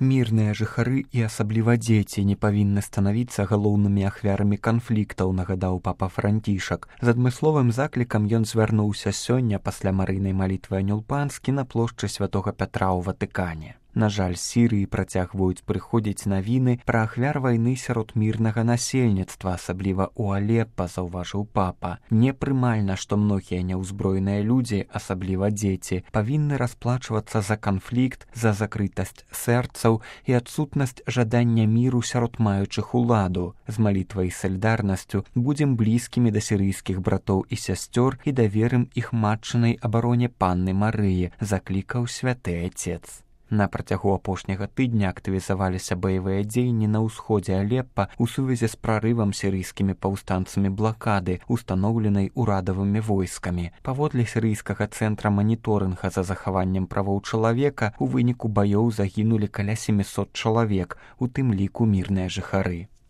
Мірныя жыхары і асабліва дзеці не павінны станавіцца галоўнымі ахвярамі канфліктаў, нагадаў папа Францішак. З адмысловым заклікам ён звярнуўся сёння пасля марыйнай малітвы Анёл Панскі на плошчы Святога Пятра ў Ватыкане. На жаль, з Сірыі працягваюць прыходзіць навіны пра ахвяр вайны сярод мірнага насельніцтва, асабліва ў Алеппа, заўважыў папа. Непрымальна, што многія няўзброеныя людзі, асабліва дзеці, павінны расплачвацца за канфлікт, за закрытасць сэрцаў і адсутнасць жадання міру сярод маючых уладу. З малітвай і салідарнасцю будзем блізкімі да сірыйскіх братоў і сясцёр і даверым іх матчынай абароне Панны Марыі, заклікаў святы Ацец. На працягу апошняга тыдня актывізаваліся баявыя дзеянні на ўсходзе Алеппа ў сувязі з прарывам сірыйскімі паўстанцамі блакады, устаноўленай урадавымі войскамі. Паводле сірыйскага цэнтра маніторынга за захаваннем правоў чалавека у выніку баёў загінулі каля 700 чалавек, у тым ліку мірныя жыхары.